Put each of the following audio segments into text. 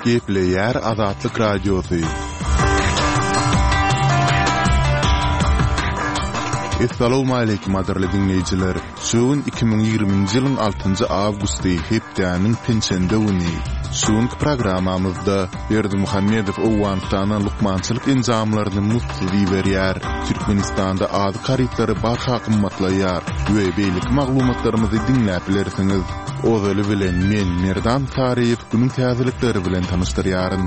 Gepleýär Azatlyk Radiosy. Essalawmaleýkim gadyrly diňleýjiler! Şu gün 2020-nji ýylyň altynjy awgusty, hepdäniň penşenbe güni. Şu günki programmamyzda Berdimuhamedow Owganystana lukmançylyk enjamlaryny muzdsuz iberýär, Türkmenistanda azyk harytlary barha gymmatlaýar we beýleki maglumatlarymyzy diňläp bilersiňiz. Ozaly bilen men, Merdan Saryýew günüň täzelikleri bilen tanyşdyrýaryn.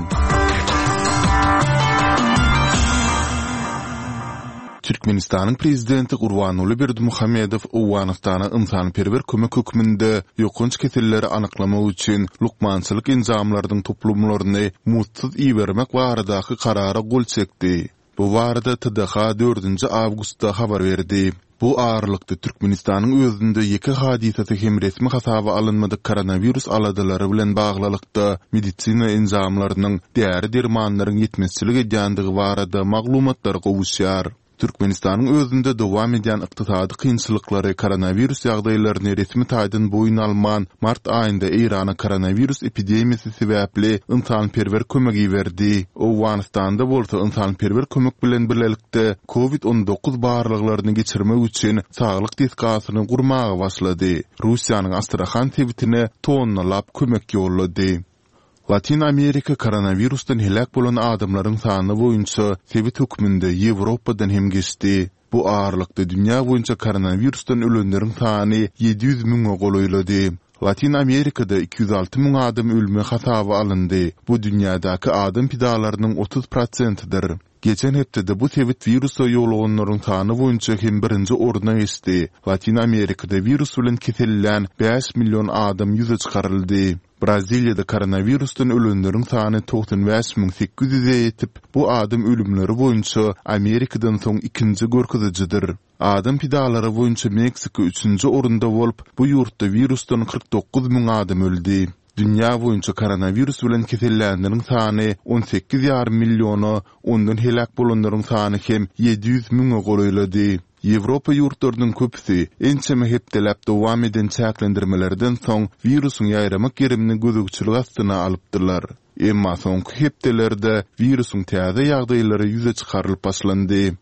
Türkmenistanyň Prezidenti Gurbanguly Berdimuhamedow Owganystana ynsanperwer kömek hökmünde ýokanç keselleri anyklamak üçin lukmançylyk enjamlarynyň toplumlaryny muzdsuz ibermek baradaky Karara gol çekdi. Bu barada TDH dördünji awgustda habar berdi. Bu aralykda, Türkmenistanyň özünde ýeke hadysasy hem resmi hasaba alynmadyk koronawirus aladalary bilen baglylykda, medisina enjamlarynyň, däri-dermanlaryň ýetmezçilik edýändigi barada maglumatlar gowuşýar. Türkmenistanyň özünde dowam edýän ykdysady kynçylyklary koronawirus ýagdaýlaryny resmi taýdan boýun alman, mart aýynda Eýrana koronawirus epidemiýasy sebäpli ynsanperwer kömek iberdi. Owganystanda bolsa ynsanperwer kömek bilen birlelikde Covid 19 barlaglaryny geçirmek üçin saglyk desgasyny gurmaga başlady. Russiýanyň Astrahan sebitine tonnalap kömek ýollady. Latyn Amerika koronawirusdan heläk bolan adamlaryň sany boýunça sebit hökmünde Ýewropadan hem geçdi. Bu aralykda dünýä boýunça koronawirusdan ölenleriň sany 700 müňe golaýlady. Latyn Amerikada 206 müň adam ölümi hasaba alyndy, bu dünýädäki adam pidalarynyň 30 prosentidir. Geçen hepdede bu sebit wirusa ýoluganlaryň sany boýunça hem birinji orna geçdi. Latyn Amerikada wirus bilen kesellän bäş million adam ýüze çykaryldy. Braziliýada koronawirusdan ölenleriň sany 95 800-e ýetip, bu adam ölümleri boýunça Amerikadan soň ikinji görkezijidir. Adam pidalary boýunça Meksika üçünji orunda bolup, bu ýurtda wirusdan 49 müň adam öldi. Dünýä boýunça koronawirus bilen kesellänleriň sany on sekiz ýarym milliona, ondan heläk bolanlaryň sany hem 700 müňe golaýlady. Ýewropa ýurtlarynyň köpüsi ençeme hepdeläp dowam eden çäklendirmelerden soň wirusyň ýaýramak gerimini gözegçilik astyna alypdylar. Emma soňky hepdelerde wirusyň täze ýagdaýlary ýüze çykarylyp başlandy.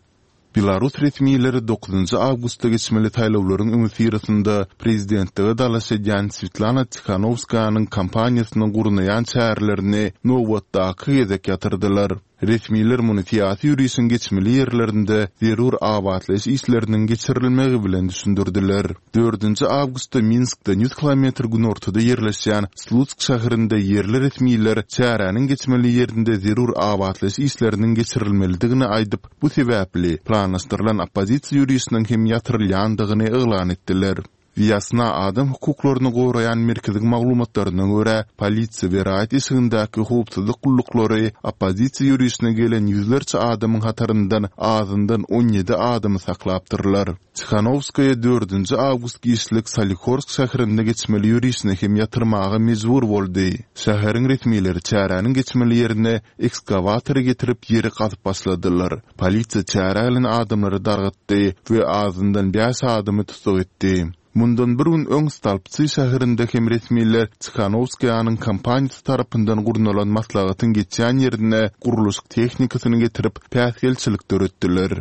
Belarus resmileri dokuzynjy awgustda geçmeli saýlawlaryň öňüsyrasynda prezidentlige dalaş edýän Swetlana Tihanowskaýanyň kampaniýasynyň gurnaýan çärelerini nobatdaky gezek ýatyrdylar. Resmiler muny syýasy ýörişiň geçmeli ýerlerinde zerur abatlaýyş işleriniň geçirilmegi bilen düşündirdiler. Dördünji awgustda Minskden ýüz kilometr günortada ýerleşýän Slutsk şäherinde ýerli resmiler çäräniň geçmeli ýerinde zerur abatlaýyş işleriniň geçirilmelidigini aýdyp, bu sebäpli planlaşdyrylan oppozisiýa ýörişiniň hem ýatyrylýandygyny yglan etdiler. Wýasna adam hukuklaryny goraýan merkeziň maglumatlaryna görä, polisiýa we raýat eşigindäki howpsuzlyk gulluklary oppozisiýa ýörişine gelen ýüzlerçe adamyň hataryndan azyndan 17 adamy saklapdyrlar. Tihanowskaýa dördünji awgust giçlik Solihorsk şäherinde geçmeli ýörişini hem ýatyrmaga mejbur boldy. Şäheriň resmileri çäräniň geçmeli ýerine ekskawatory getirip ýeri gazyp başladylar. Polisiýa çärä gelen adamlary dargatdy we azyndan bäş adamy tussag etdi. Mundan bir gün öň Stolbtsy şäherinde hem resmiler Tihanowskaýanyň kampaniýasy tarapyndan gurnalan maslahatyň geçýän ýerine gurluşyk tehnikasyny getirip, päsgelçilik döretdiler.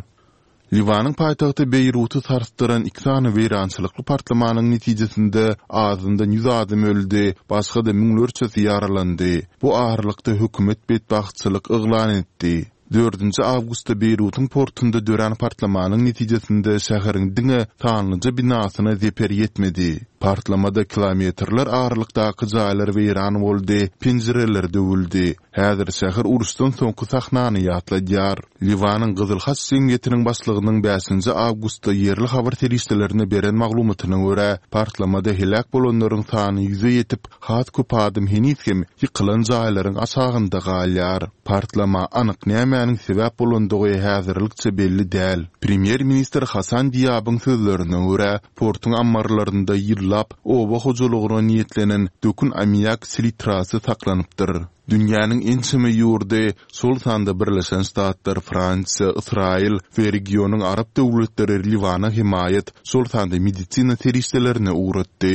Liwanyň paýtagty Beýruty sarsdyran iki sany weýrançylykly partlamanyň netijesinde azyndan ýüz adam öldi, başga-da müňlerçesi ýaralandy. Bu aralykda hökümet betbagtçylyk yglan etdi. Dördünji awgustda Beýrutyň portunda dörän partlamanyň netijesinde şäheriň diňe sanlyja binasyna zeper ýetmedi. Partlamada kilometrler aralykdaky jaýlar weýran boldy, penjireler döwüldi. Häzir şäher uruşdan soňky sahnany ýatladýar. Liwanyň Gyzyl Haç jemgyýetiniň başlygynyň bäşinji awgustda ýerli habar serişdelerine beren maglumatyna görä, partlamada heläk bolanlaryň sany ýüze ýetip, has köp adam heniz hem ýykylan jaýlaryň aşagynda galýar. Partlama anyk nämäniň sebäp bolandygy häzirlikçe belli däl. Premýer-ministr Hasan Diabyň sözlerine görä, portuň ammarlarynda ýyllap oba hojalygyna niýetlenen dökün ammiak selitrasy saklanypdyr. Dünýäniň ençeme ýurdy, şol sanda Birleşen Ştatlar, Fransiýa, Ysraýyl we regionyň arap döwletleri Liwana hemaýat, şol sanda medisina serişdelerini ugratdy.